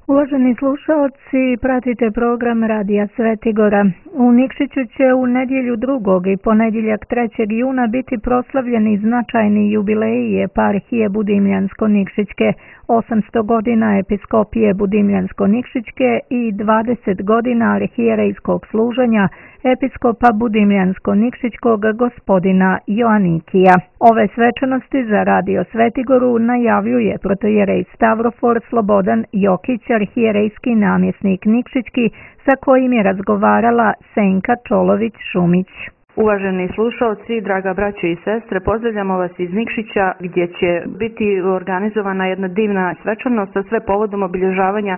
Uvaženi slušalci, pratite program Radija Svetigora. U Nikšiću će u nedjelju 2. i ponedjeljak 3. juna biti proslavljeni značajni jubileji eparhije Budimljansko-Nikšićke, 800 godina episkopije Budimljansko-Nikšićke i 20 godina arhijerejskog služenja episkopa Budimljansko-Nikšićkog gospodina Joanikija. Ove svečanosti za Radio Svetigoru najavljuje protojerej Stavrofor Slobodan Jokić, arhijerejski namjesnik Nikšićki, sa kojim je razgovarala Senka Čolović-Šumić. Uvaženi slušalci, draga braće i sestre, pozdravljamo vas iz Nikšića gdje će biti organizovana jedna divna svečanost, a sve povodom obilježavanja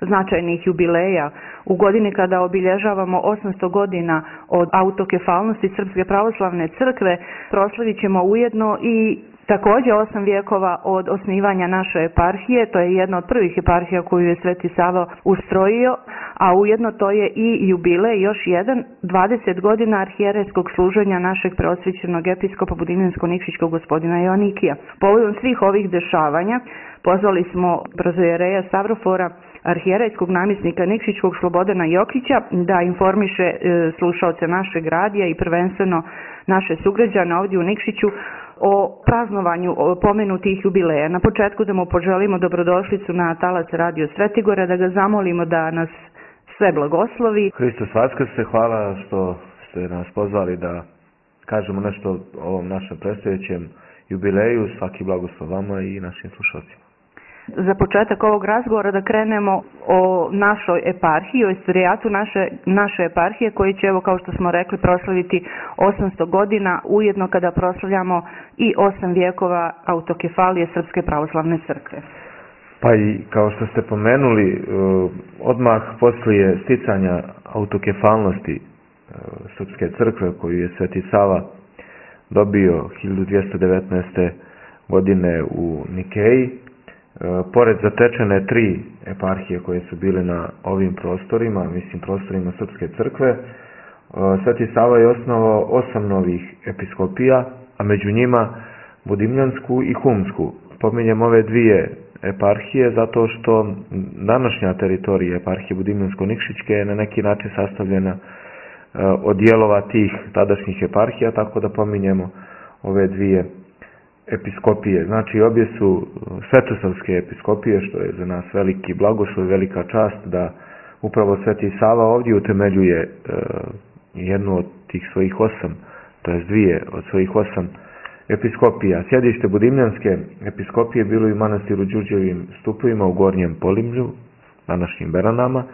značajnih jubileja. U godini kada obilježavamo 800 godina od autokefalnosti Srpske pravoslavne crkve, proslavit ćemo ujedno i također 8 vijekova od osnivanja naše eparhije. To je jedna od prvih eparhija koju je Sveti Sava ustrojio, a ujedno to je i jubilej još jedan, 20 godina arhijerejskog služenja našeg preosvećenog episkopa Budimljansko-Nikšićkog gospodina Joanikija. Povodom svih ovih dešavanja pozvali smo protojereja Stavrofora, arhijerejskog namjesnika Nikšićkog Slobodana Jokića, da informiše slušaoce našeg radija i prvenstveno naše sugrađane ovdje u Nikšiću o praznovanju pomenutih jubileja. Na početku da mu poželimo dobrodošlicu na talas Radio Svetigora, da ga zamolimo da nas sve blagoslovi. Hristos Vaskrse, hvala što ste nas pozvali da kažemo nešto o ovom našem predstojećem jubileju. Svaki blagoslov vama i našim slušalcima. Za početak ovog razgovora da krenemo o našoj eparhiji, o istorijatu naše eparhije, koji će, evo kao što smo rekli, proslaviti 800 godina, ujedno kada proslavljamo i 8 vijekova autokefalije Srpske pravoslavne crkve. Pa i kao što ste pomenuli, odmah poslije sticanja autokefalnosti Srpske crkve koju je Sveti Sava dobio 1219. godine u Nikeji, pored zatečene 3 eparhije koje su bile na ovim prostorima, prostorima Srpske crkve, Sveti Sava je osnovao 8 novih episkopija, a među njima Budimljansku i Humsku. Pominjem ove 2 eparhije zato što današnja teritorija eparhije Budimljansko-Nikšićke je na neki način sastavljena od dijelova tih tadašnjih eparhija, tako da pominjemo ove 2 episkopije. Znači, obje su svetosavske episkopije, što je za nas veliki blagoslov i velika čast da upravo Sveti Sava ovdje utemeljuje jednu od tih svojih 8, to jest 2 od svojih 8 episkopija. Sjedište Budimljanske episkopije bilo i u manastiru Đurđevim Stupovima u Gornjem Polimlju, današnjim Beranama,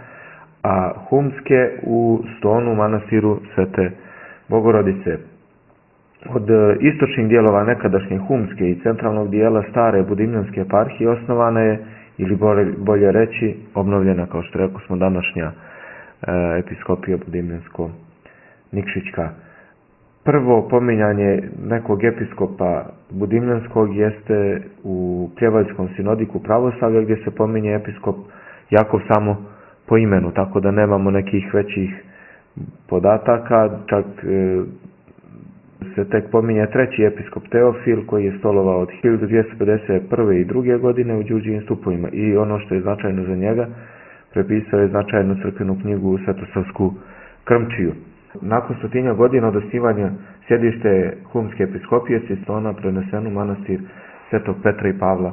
a Humske u Stonu, manastiru Svete Bogorodice. Od istočnih dijelova nekadašnje Humske i centralnog dijela stare Budimljanske eparhije osnovana je, ili bolje reći, obnovljena, kao što rekao smo, današnja episkopija Budimljansko-Nikšićka. Prvo pominjanje nekog episkopa Budimljanskog jeste u Pljevaljskom sinodiku pravoslavlja, gdje se pominje episkop Jakov samo po imenu, tako da nemamo nekih većih podataka, čak se tek pominje 3. episkop Teofil, koji je stolovao od 1251. i 2. godine u Đurđevim Stupovima, i ono što je značajno za njega, prepisao je značajnu crkvenu knjigu u Svetosavsku Krmčiju. Nakon 100 godina od osnivanja sjedište Humske episkopije se iz Stona preneseno u manastir Svetog Petra i Pavla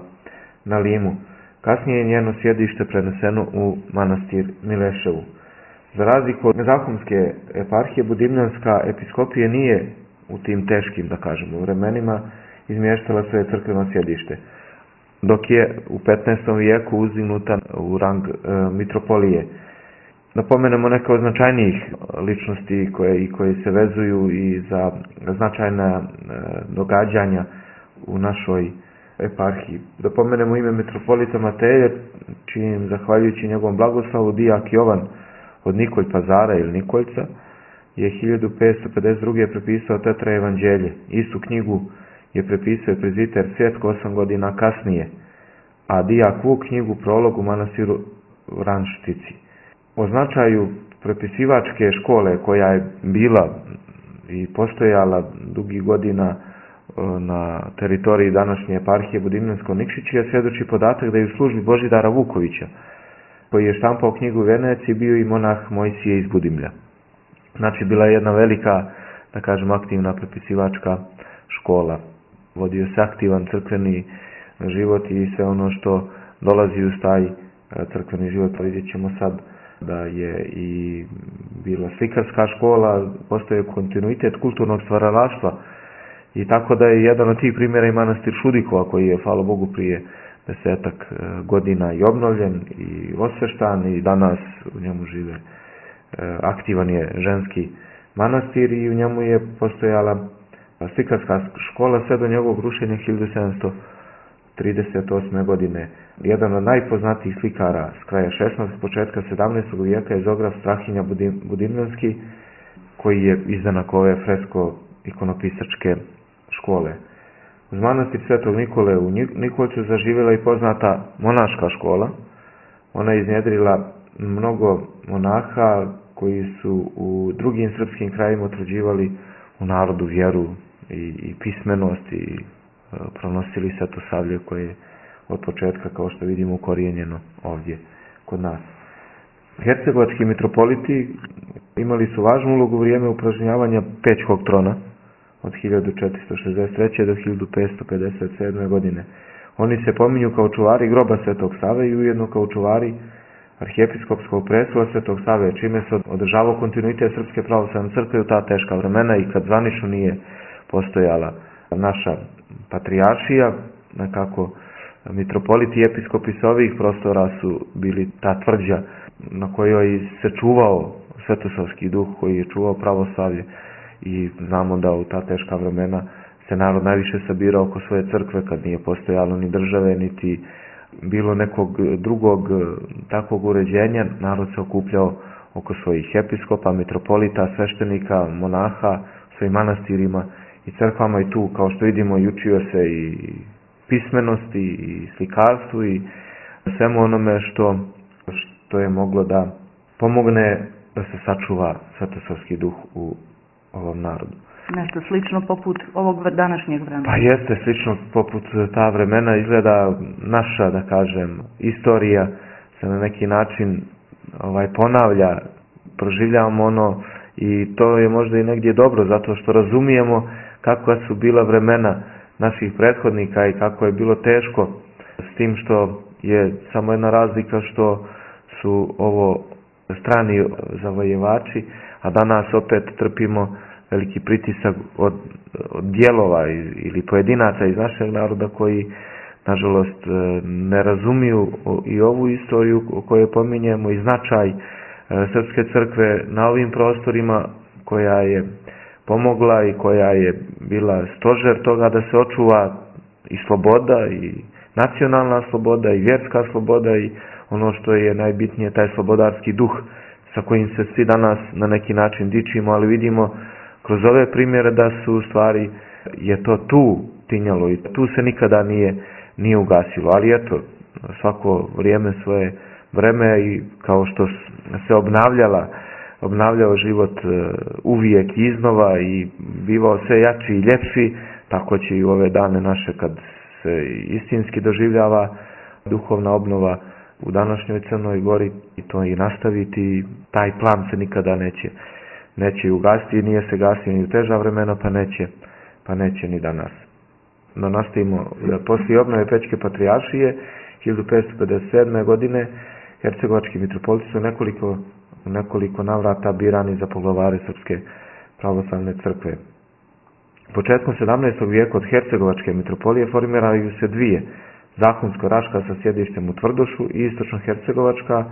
na Limu. Kasnije je njeno sjedište preneseno u manastir Mileševu. Za razliku od Zahumske eparhije, Budimljanska episkopija nije u tim teškim, da kažemo, vremenima izmještala svoje crkveno sjedište, dok je u 15. vijeku uzdignuta u rang mitropolije. Napomenemo neke od značajnijih ličnosti koje se vezuju i za značajna događanja u našoj eparhiji. Da pomenemo ime mitropolita Mateja, čijim, zahvaljujući njegovom blagoslovu, dijak Jovan od Nikolj Pazara ili Nikoljca je 1552. prepisao Tetra evanđelje. Istu knjigu je prepisao prezbiter Svjetko 8 godina kasnije, a dijak Vuk knjigu Prolog u manastiru Vranštici. O značaju prepisivačke škole, koja je bila i postojala dugi godina na teritoriji današnje eparhije Budimljansko-Nikšićke, svjedoči podatak da je u službi Božidara Vukovića koji je štampao knjigu u Veneciji, bio i monah Mojsije iz Budimlja. Znači, bila je jedna velika, da kažem, aktivna prepisivačka škola. Vodio se aktivan crkveni život i sve ono što dolazi uz taj crkveni život. Vidjet ćemo sad da je i bila slikarska škola, postoje kontinuitet kulturnog stvaralaštva i tako da je jedan od tih primjera i manastir Šudikova koji je, hvala Bogu, prije 10 godina i obnovljen i osveštan i danas u njemu žive. Aktivan je ženski manastir i u njemu je postojala slikarska škola sve do njegovog rušenja 1738. godine. Jedan od najpoznatijih slikara s kraja 16. početka 17. vijeka je Zograf Strahinja Budimljanski, koji je izdanak ove fresko-ikonopisačke škole. Uz manastir Svetog Nikole u Nikoliću zaživjela i poznata monaška škola. Ona je iznjedrila mnogo monaha koji su u drugim srpskim krajima utvrđivali u narodu vjeru i pismenost i pronosili svetosavlje koje je od početka, kao što vidimo, ukorijenjeno ovdje kod nas. Hercegovački mitropoliti imali su važnu ulogu u vrijeme upražnjavanja Pećkog trona od 1463. do 1557. godine. Oni se pominju kao čuvari groba Svetog Save i ujedno kao čuvari arhijepiskopskog prestola Svetog Save, čime se održavao kontinuitet Srpske pravoslavne crkve u ta teška vremena i kad zvanično nije postojala naša patrijaršija, nekako mitropoliti i episkopi s ovih prostora su bili ta tvrđa na kojoj se čuvao svetosavski duh, koji je čuvao pravoslavlje i znamo da u ta teška vremena se narod najviše sabirao oko svoje crkve kad nije postojalo ni države niti bilo nekog drugog takvog uređenja. Narod se okupljao oko svojih episkopa, mitropolita, sveštenika, monaha, svojim manastirima i crkvama i tu, kao što vidimo, i učio se i pismenosti i slikarstvu i svemu onome što je moglo da pomogne da se sačuva svetosavski duh u ovom narodu. Nešto slično poput ovog današnjeg vremena. Pa jeste, slično poput ta vremena. Izgleda naša, da kažem, istorija se na neki način ponavlja, proživljavamo ono i to je možda i negdje dobro, zato što razumijemo kakva su bila vremena naših prethodnika i kako je bilo teško, s tim što je samo jedna razlika što su ovo strani zavojevači, a danas opet trpimo veliki pritisak od dijelova ili pojedinaca iz našeg naroda koji, nažalost, ne razumiju i ovu istoriju o kojoj pominjemo i značaj Srpske crkve na ovim prostorima, koja je pomogla i koja je bila stožer toga da se očuva i sloboda i nacionalna sloboda i vjerska sloboda i ono što je najbitnije, taj slobodarski duh sa kojim se svi danas na neki način dičimo, ali vidimo kroz ove primjere da su u stvari je to tu tinjalo i tu se nikada nije ugasilo. Ali eto, svako vrijeme svoje vreme i kao što se obnavljao život uvijek iznova i bivao sve jači i ljepši, tako će i u ove dane naše kad se istinski doživljava duhovna obnova u današnjoj Crnoj Gori i to i nastaviti. Taj plan se nikada neće ugasiti, nije se gasio ni u teža vremena, pa neće ni danas. No nastavimo, poslije obnove Pećke patrijaršije 1557. godine hercegovački mitropoliti su nekoliko navrata birani za poglavare Srpske pravoslavne crkve. Početkom 17. vijeka od hercegovačke mitropolije formiraju se dvije, Zahumsko-Raška sa sjedištem u Tvrdošu i Istočno-Hercegovačka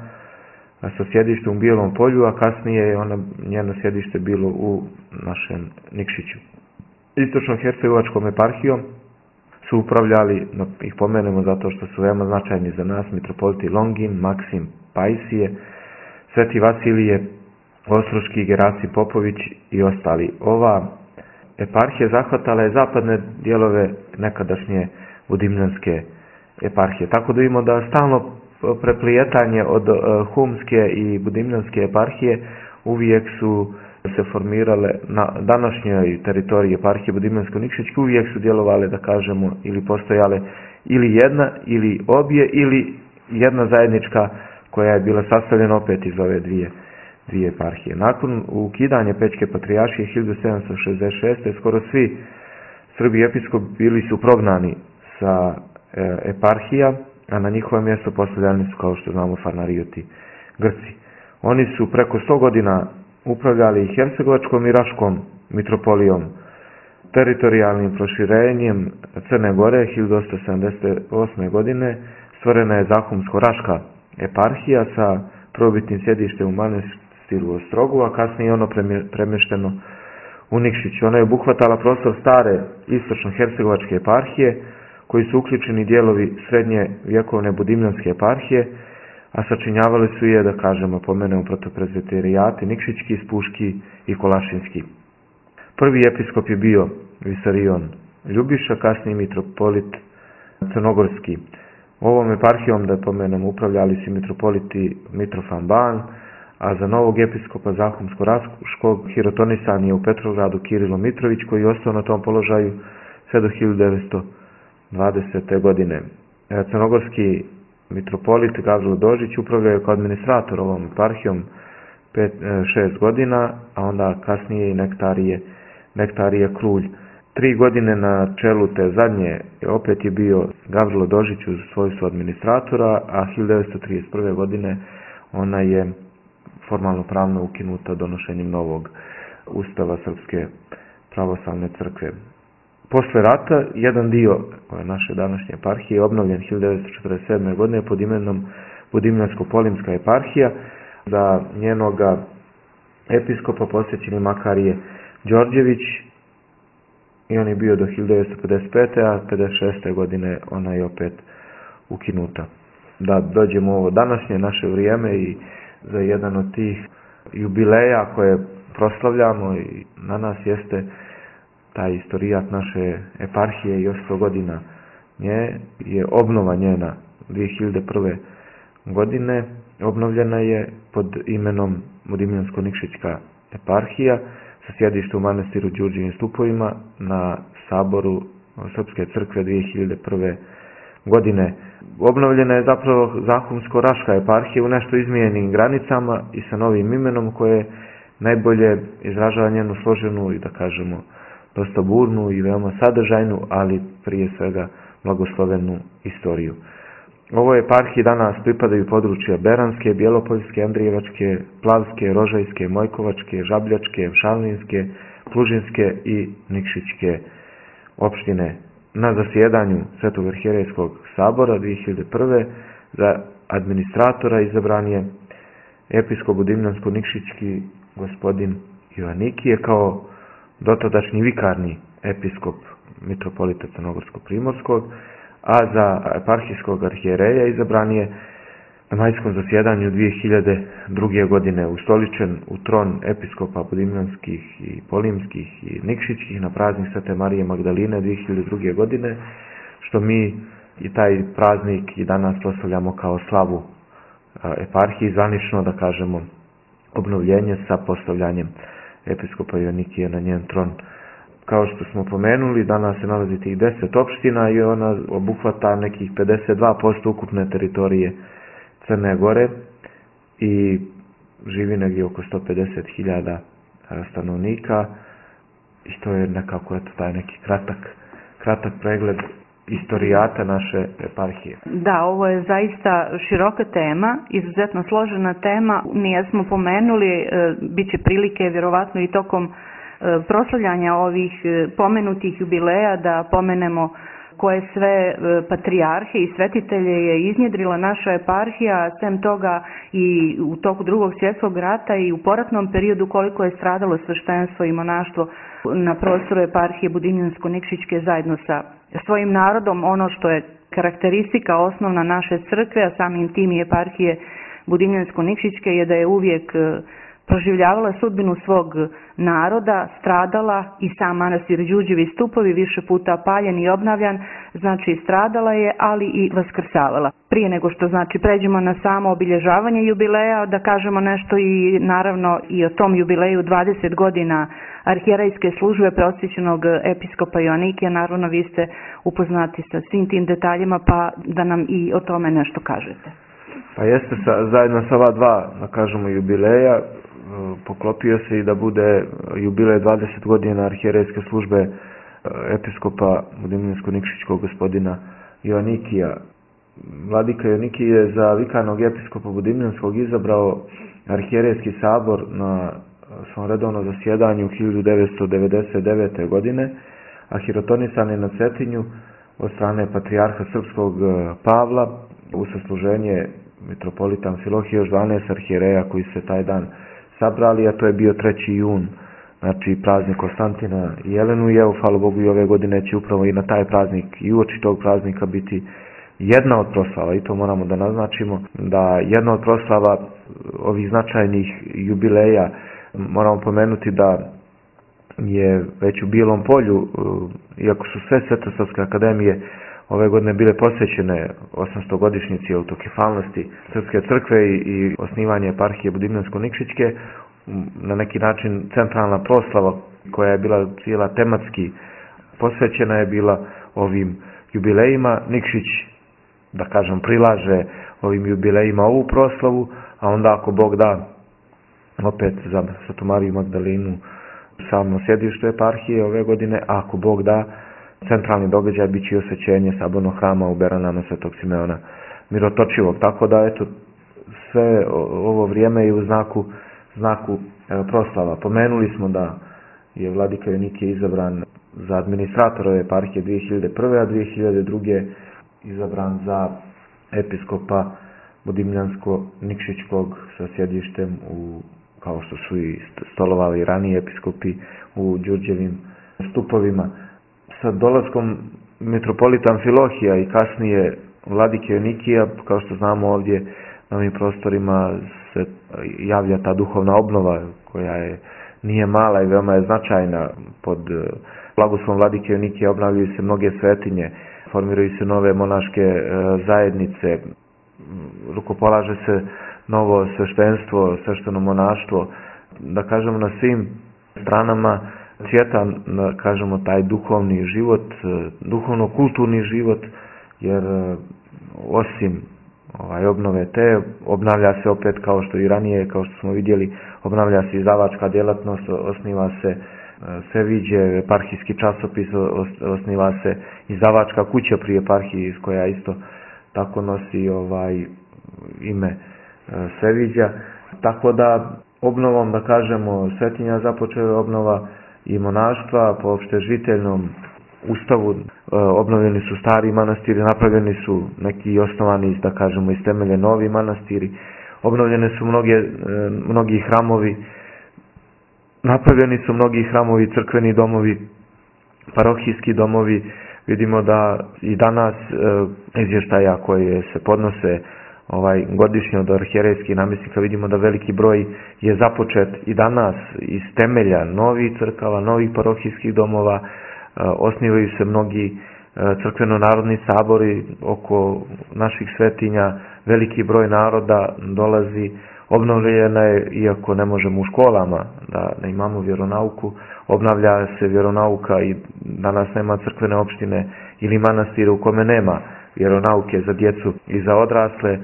sa sjedištem u Bijelom Polju, a kasnije je njeno sjedište bilo u našem Nikšiću. Istočno-hercegovačkom eparhijom su upravljali, ih pomenemo zato što su veoma značajni za nas, mitropoliti Longin, Maksim, Pajsije, Sveti Vasilije, Ostroški, Gerasim Popović i ostali. Ova eparhija zahvatala je zapadne dijelove nekadašnje Budimljanske eparhije. Tako da vidimo da stalno preplijetanje od Humske i Budimljanske eparhije uvijek su se formirale na današnjoj teritoriji eparhije Budimljansko-Nikšićke, uvijek su djelovale, da kažemo, ili postojale ili jedna ili obje ili jedna zajednička koja je bila sastavljena opet iz ove dvije eparhije. Nakon ukidanja Pećke patrijaršije 1766. skoro svi Srbi episkopi bili su prognani sa eparhija, a na njihovo mjesto postavljani su, kao što znamo, Farnarioti, Grci. Oni su preko 100 godina upravljali Hercegovačkom i Raškom mitropolijom. Teritorijalnim proširenjem Crne Gore 1878. godine stvorena je Zahumsko-Raška eparhija sa prvobitnim sjedištem u manastiru Ostrogu, a kasnije ono premješteno u Nikšić. Ona je obuhvatala prostor stare istočno-hercegovačke eparhije, koji su uključeni dijelovi srednje vjekovne budimljanske eparhije, a sačinjavali su je, da kažemo, pomenemo protoprezbiterijati Nikšićki, Spuški i Kolašinski. Prvi episkop je bio Visarion Ljubiša, kasniji mitropolit Crnogorski. Ovom eparhijom, da pomenemo, upravljali su mitropoliti Mitrofan Ban, a za novog episkopa Zahumsko-Raškog hirotonisan je u Petrogradu Kirilo Mitrović, koji je ostao na tom položaju sve do 1920. godine. Crnogorski mitropolit Gavrilo Dožić upravljao je kao administrator ovom eparhijom 6 godina, a onda kasnije i Nektarije Krulj. 3 godine na čelu te zadnje opet je bio Gavrilo Dožić u svojstvu administratora, a 1931. godine ona je formalno pravno ukinuta donošenjem novog ustava Srpske pravoslavne crkve. Posle rata, jedan dio naše današnje eparhije je obnovljen 1947. godine pod imenom Budimljansko-Polimska eparhija. Za njenoga episkopa posvećen je Makarije Đorđević i on je bio do 1955. a 1956. godine ona je opet ukinuta. Da dođemo u ovo današnje naše vrijeme i za jedan od tih jubileja koje proslavljamo i na nas jeste taj istorijat naše eparhije i 800 godina nje je obnova njena 2001. godine. Obnovljena je pod imenom Budimljansko-Nikšićka eparhija sa sjedištem u manastiru Đurđevim Stupovima na saboru Srpske crkve 2001. godine. Obnovljena je zapravo Zahumsko-Raška eparhija u nešto izmijenjenim granicama i sa novim imenom koje najbolje izražava njenu složenu i, da kažemo, dosta burnu i veoma sadržajnu, ali prije svega blagoslovenu istoriju. Ovoj eparhiji danas pripadaju područja Beranske, Bjelopoljske, Andrijevačke, Plavske, Rožajske, Mojkovačke, Žabljačke, Šalinske, Plužinske i Nikšićke opštine. Na zasjedanju Svetog arhijerejskog sabora 2001. za administratora izabran je episkop Budimljansko-Nikšićki gospodin Joannikije kao dotadašnji vikarni episkop mitropolita Crnogorsko-Primorskog, a za eparhijskog arhijereja izabran je na majskom zasjedanju 2002. godine ustoličen u tron episkopa budimljanskih i polimskih i nikšićkih na praznik Svete Marije Magdaline 2002. godine, što mi i taj praznik i danas proslavljamo kao slavu eparhiji, zvanično, da kažemo, obnovljenje sa postavljanjem episkopa Joannikije na njen tron. Kao što smo pomenuli, danas se nalazi tih 10 opština i ona obuhvata nekih 52% ukupne teritorije Crne Gore i živi negdje oko 150.000 stanovnika i to je nekako taj neki kratak pregled istorijata naše eparhije. Da, ovo je zaista široka tema, izuzetno složena tema. Nijesmo pomenuli, bit će prilike vjerovatno i tokom proslavljanja ovih pomenutih jubileja da pomenemo koje sve patrijarhe i svetitelje je iznjedrila naša eparhija, sem toga i u toku Drugog svjetskog rata i u poratnom periodu koliko je stradalo sveštenstvo i monaštvo na prostoru eparhije Budimljansko-Nikšićke zajedno sa svojim narodom. Ono što je karakteristika osnovna naše crkve, a samim tim i eparhije Budimljansko-Nikšićke, je da je uvijek proživljavala sudbinu svog naroda, stradala i sam manastir Đurđevi Stupovi više puta paljen i obnavljan, znači stradala je, ali i vaskrsavala. Prije nego što pređemo na samo obilježavanje jubileja, da kažemo nešto i naravno i o tom jubileju 20 godina arhijerejske službe preosvećenog episkopa Joannikija. Naravno vi ste upoznati sa svim tim detaljima, pa da nam i o tome nešto kažete. Pa jeste, zajedno sa ova dva, da kažemo, jubileja, poklopio se i da bude jubilej 20 godina arhijerejske službe episkopa Budimljansko-Nikšićkog gospodina Joanikija. Vladika Joanikij je za vikarnog episkopa Budimljanskog izabrao arhijerejski sabor na svom redovnom zasjedanju 1999. godine, a hirotonisan je na Cetinju od strane patrijarha srpskog Pavla u sasluženje mitropolita Amfilohije, još 12 arhijereja koji se taj dan sabrali, a to je bio 3. jun, znači praznik Konstantina i Jelenu, i evo, hvala Bogu, i ove godine će upravo i na taj praznik i uoči tog praznika biti jedna od proslava, i to moramo da naznačimo, da jedna od proslava ovih značajnih jubileja, moramo pomenuti da je već u Bijelom Polju, iako su sve Svetosavske akademije ove godine bile posvećene 800-godišnjici autokefalnosti Srpske crkve i osnivanje eparhije Budimljansko-Nikšićke, na neki način centralna proslava koja je bila cijela tematski posvećena je bila ovim jubilejima. Nikšić, da kažem, prilaže ovim jubilejima ovu proslavu, a onda ako Bog da, opet za Svetu Mariju Magdalinu samo sjedište eparhije ove godine, a ako Bog da, centralni događaj bit će osvećenje sabornog hrama u Beranama Svetog Simeona Mirotočivog. Tako da, eto, sve ovo vrijeme je u znaku proslava. Pomenuli smo da je vladika Joanikij izabran za administratora eparhije 2001. a 2002. izabran za episkopa Budimljansko-Nikšićkog sa sjedištem kao što su i stolovali ranije episkopi, u Đurđevim stupovima. Sa dolaskom mitropolita Amfilohija i kasnije vladike Joanikija, kao što znamo, ovdje na ovim prostorima se javlja ta duhovna obnova koja nije mala i veoma je značajna. Pod blagoslovom vladike Joanikija obnavljaju se mnoge svetinje, formiraju se nove monaške zajednice, rukopolaže se novo sveštenstvo, svešteno monaštvo. Da kažemo, na svim stranama cvjeta, kažemo, taj duhovni život, duhovno-kulturni život, jer osim obnove te, obnavlja se opet, kao što i ranije, kao što smo vidjeli, obnavlja se izdavačka djelatnost, osniva se Sveviđe, eparhijski časopis, osniva se izdavačka kuća pri eparhiji, koja isto tako nosi ime Sveviđa. Tako da, obnovom, da kažemo, svetinja započela obnova i monaštva po opštežiteljnom ustavu. Obnovljeni su stari manastiri, napravljeni su neki osnovani, da kažemo, iz temelje novi manastiri, obnovljene su mnogi hramovi, napravljeni su mnogi hramovi, crkveni domovi, parohijski domovi. Vidimo da i danas izvještaja koje se podnose godišnje od arhijerejskih namjesnika, vidimo da veliki broj je započet i danas iz temelja novih crkava, novih parohijskih domova. Osnivaju se mnogi crkveno-narodni sabori oko naših svetinja, veliki broj naroda dolazi, obnovljena je, iako ne možemo u školama da imamo vjeronauku, obnavlja se vjeronauka i danas nema crkvene opštine ili manastira u kome nema vjeronauke za djecu i za odrasle.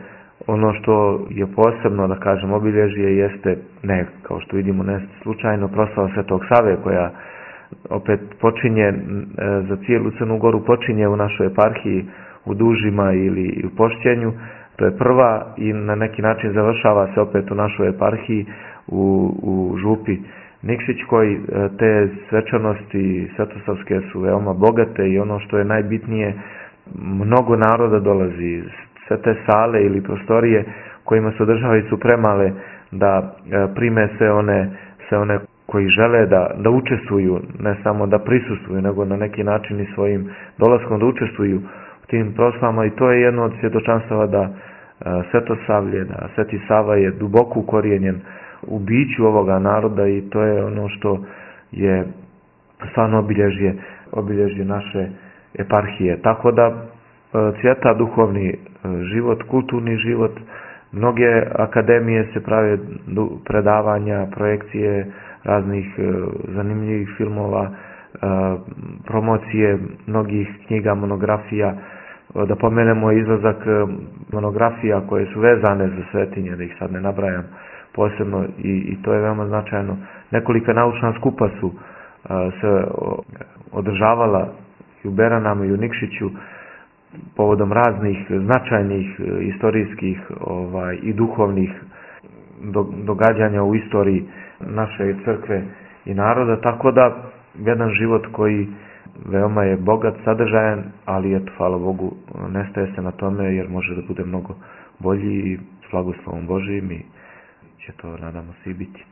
Ono što je posebno, da kažem, obilježje jeste, ne, kao što vidimo, ne slučajno, proslava Svetog Save, koja opet počinje za cijelu Crnu Goru, počinje u našoj eparhiji u Dužima ili u Pošćenju. To je prva i na neki način završava se opet u našoj eparhiji u Župi Nikšićkoj. Te svečanosti svetosavske su veoma bogate i ono što je najbitnije, mnogo naroda dolazi. Sve te sale ili prostorije kojima se održavaju su premale da prime sve one koji žele da učestvuju, ne samo da prisustvuju, nego na neki način i svojim dolaskom da učestvuju u tim proslavama. I to je jedno od svjedočanstava da Svetosavlje, da Sveti Sava je duboko ukorijenjen u biću ovoga naroda, i to je ono što je stvarno obilježje naše eparhije. Tako da cvjeta duhovni život, kulturni život, mnoge akademije se prave predavanja, projekcije raznih zanimljivih filmova, promocije mnogih knjiga, monografija da pomenemo izlazak monografija koje su vezane za svetinje, da ih sad ne nabrajam posebno, i to je veoma značajno. Nekolika naučna skupa su se održavala i u Beranama i u Nikšiću povodom raznih značajnih istorijskih i duhovnih događanja u istoriji naše crkve i naroda, tako da jedan život koji veoma je bogat, sadržajan, ali eto, hvala Bogu, nestaje se na tome jer može da bude mnogo bolji i s blagoslovom Božijim i će to, nadamo se, i biti.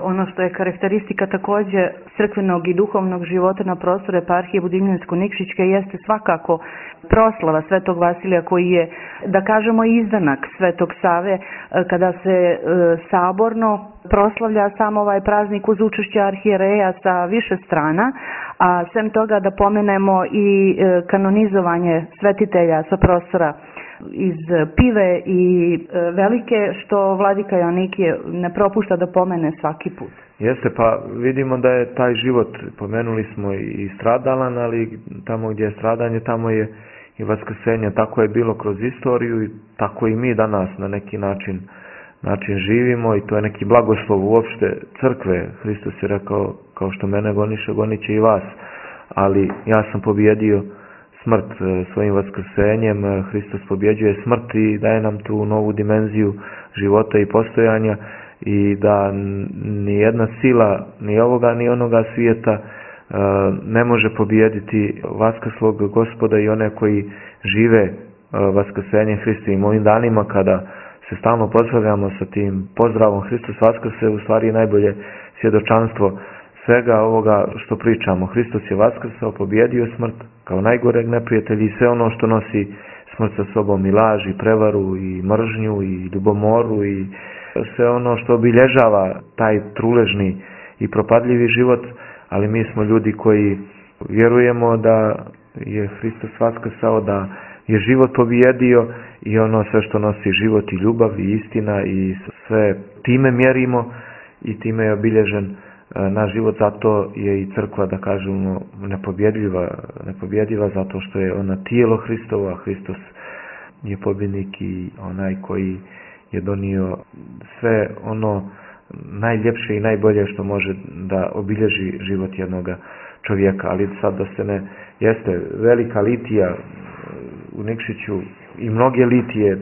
Ono što je karakteristika takođe crkvenog i duhovnog života na prostoru eparhije Budimljansko-Nikšićke jeste svakako proslava Svetog Vasilija, koji je, da kažemo, izdanak Svetog Save, kada se saborno proslavlja sam ovaj praznik uz učešće arhijereja sa više strana, a sem toga da pomenemo i kanonizovanje svetitelja sa prostora iz Pive i Velike, što vladika Joanikije ne propušta da pomene svaki put. Jeste, pa vidimo da je taj život, pomenuli smo, i stradalan, ali tamo gdje je stradanje, tamo je i vaskrsenje. Tako je bilo kroz istoriju i tako i mi danas na neki način živimo, i to je neki blagoslov uopšte crkve. Hristos je rekao, kao što mene goniše, gonit će i vas, ali ja sam pobjedio smrt svojim vaskrsenjem. Hristos pobjeđuje smrt i daje nam tu novu dimenziju života i postojanja, i da ni jedna sila, ni ovoga ni onoga svijeta ne može pobijediti vaskrslog Gospoda i one koji žive vaskrsenjem Hristovim. Ovim danima kada se stalno pozdravljamo sa tim pozdravom Hristos vaskrse, u stvari najbolje svjedočanstvo svega ovoga što pričamo. Hristos je vaskrsao, pobjedio smrt kao najgoreg neprijatelja i sve ono što nosi smrt sa sobom, i laž, i prevaru, i mržnju, i ljubomoru, i sve ono što obilježava taj truležni i propadljivi život. Ali mi smo ljudi koji vjerujemo da je Hristos vaskrsao, da je život pobjedio, i ono sve što nosi život i ljubav i istina, i sve time mjerimo i time je obilježen naš život. Zato je i crkva, da kažemo, nepobjediva, zato što je ona tijelo Hristovo, a Hristos je pobjednik i onaj koji je donio sve ono najljepše i najbolje što može da obilježi život jednog čovjeka. Ali sad da se ne, jeste velika litija u Nikšiću i mnoge litije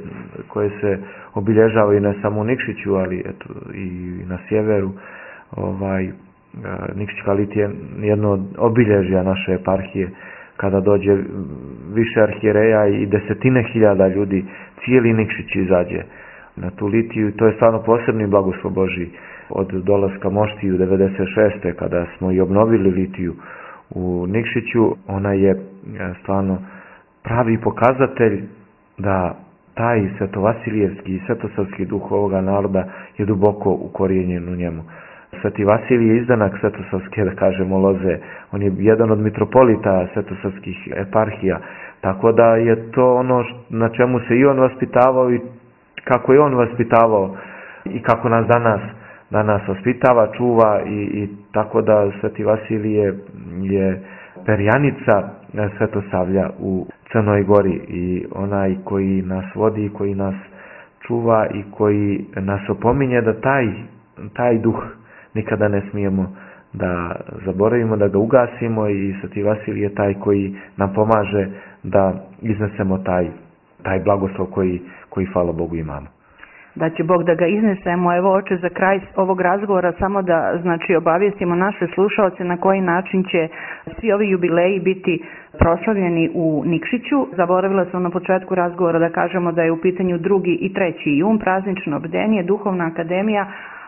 koje se obilježavaju ne samo u Nikšiću, ali eto i na sjeveru. Nikšićka litija je jedno od obilježja naše eparhije. Kada dođe više arhijereja i desetine hiljada ljudi, cijeli Nikšić izađe na tu litiju, i to je stvarno posebni blagoslov Božji. Od dolaska Moštiju 96. kada smo i obnovili litiju u Nikšiću, ona je stvarno pravi pokazatelj da taj svetovasilijevski i svetosavski duh ovoga naroda je duboko ukorijenjen u njemu. Sveti Vasilij je izdanak svetosavske, da kažemo, loze. On je jedan od mitropolita svetosavskih eparhija, tako da je to ono na čemu se i on vaspitavao i kako je on vaspitavao i kako nas danas vaspitava, čuva, i tako da Sveti Vasilije je perjanica Svetosavlja u Crnoj Gori, i onaj koji nas vodi, koji nas čuva i koji nas opominje da taj duh nikada ne smijemo da zaboravimo, da ga ugasimo, i Sveti Vasilij je taj koji nam pomaže da iznesemo taj blagoslov koji hvala Bogu imamo. Da će Bog da ga iznesemo. Evo, oče, za kraj ovog razgovora samo da obavijestimo naše slušaoce na koji način će svi ovi jubileji biti proslavljeni u Nikšiću. Zaboravila sam na početku razgovora da kažemo da je u pitanju 2. i 3. jun, praznično bdenje, duhovna akademija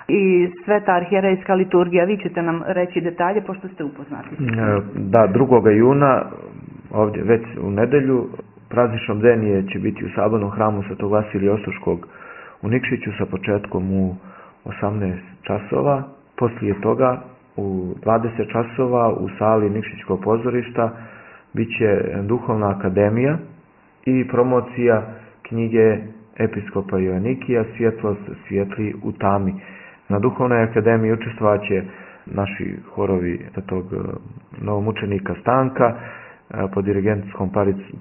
i sveta arhijerejska liturgija. Vi ćete nam reći detalje pošto ste upoznati. Da, 2. juna, ovdje već u nedelju, praznično bdenje će biti u sabornom hramu Svetog Vasilija Ostroškog u Nikšiću sa početkom u 18 časova. Poslije toga u 20 časova u sali Nikšićkog pozorišta bit će duhovna akademija i promocija knjige episkopa Joanikija Svjetlost svijetli u tami. Na duhovnoj akademiji učestvovat će naši horovi tog novomučenika Stanka pod dirigentskom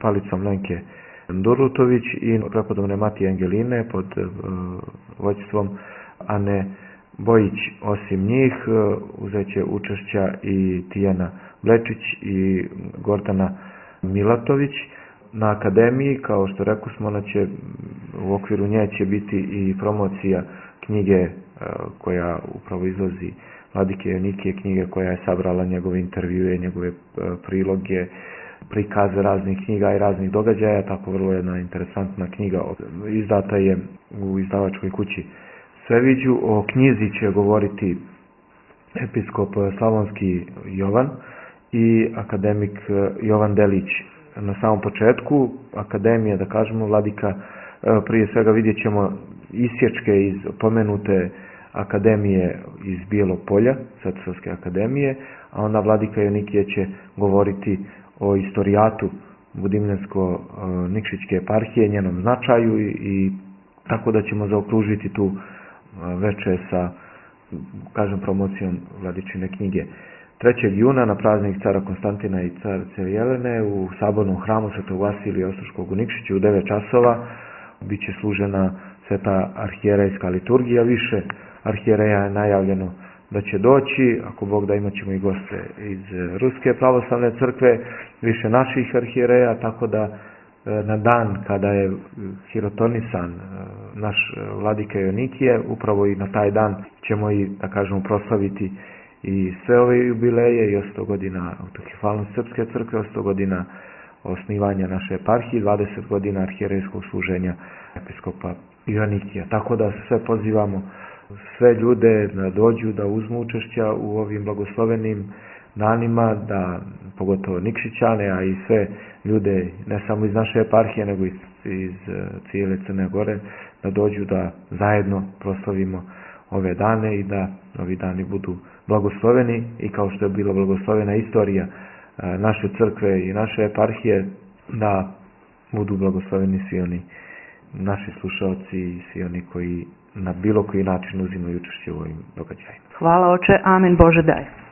palicom Lenke Durutović i prepodobne Matije Angeline pod vođstvom Ane Bojić. Osim njih uzet će učešća i Tijana Blečić i Gordana Milatović. Na akademiji, kao što rekli smo, u okviru nje će biti i promocija knjige koja upravo izlazi Vladike Jonikije, knjige koja je sabrala njegove intervjue, njegove priloge, prikaze raznih knjiga i raznih događaja, tako vrlo jedna interesantna knjiga. Izdata je u izdavačkoj kući Sveviđu. O knjizi će govoriti episkop Slavonski Jovan i akademik Jovan Delić. Na samom početku akademija, da kažemo, Vladika, prije svega vidjet ćemo isječke iz pomenute akademije iz Bijelog Polja, Svetosavske akademije, a onda Vladika Jonikije će govoriti o istorijatu Budimljansko-Nikšićke eparhije, njenom značaju i tako da ćemo zaokružiti tu veče sa, kažem, promocijom Vladičine knjige. 3. juna na praznik cara Konstantina i carice Jelene u sabornom hramu Svetog Vasilija Ostroškog u Nikšiću u 9 časova bit će služena sveta arhijerejska liturgija. Više arhijereja je najavljeno da će doći, ako Bog da, imat ćemo i goste iz Ruske pravoslavne crkve, više naših arhijereja, tako da na dan kada je hirotonisan naš Vladika Jonikije, upravo i na taj dan ćemo i, da kažemo, proslaviti i sve ove jubileje, i 100 godina autokefalnosti Srpske crkve, 100 godina osnivanja naše eparhije, 20 godina arhijerejskog služenja episkopa Jonikija. Tako da sve pozivamo sve ljude da dođu, da uzmu učešća u ovim blagoslovenim danima, da pogotovo Nikšićane, a i sve ljude ne samo iz naše eparhije, nego iz cijele Crne Gore, da dođu da zajedno proslavimo ove dane i da ovi dani budu blagosloveni, i kao što je bila blagoslovena istorija naše crkve i naše eparhije, da budu blagosloveni svi oni naši slušalci i svi oni koji na bilo koji način uzimaju učešće u ovim događajima. Hvala, oče, amen, Bože daj.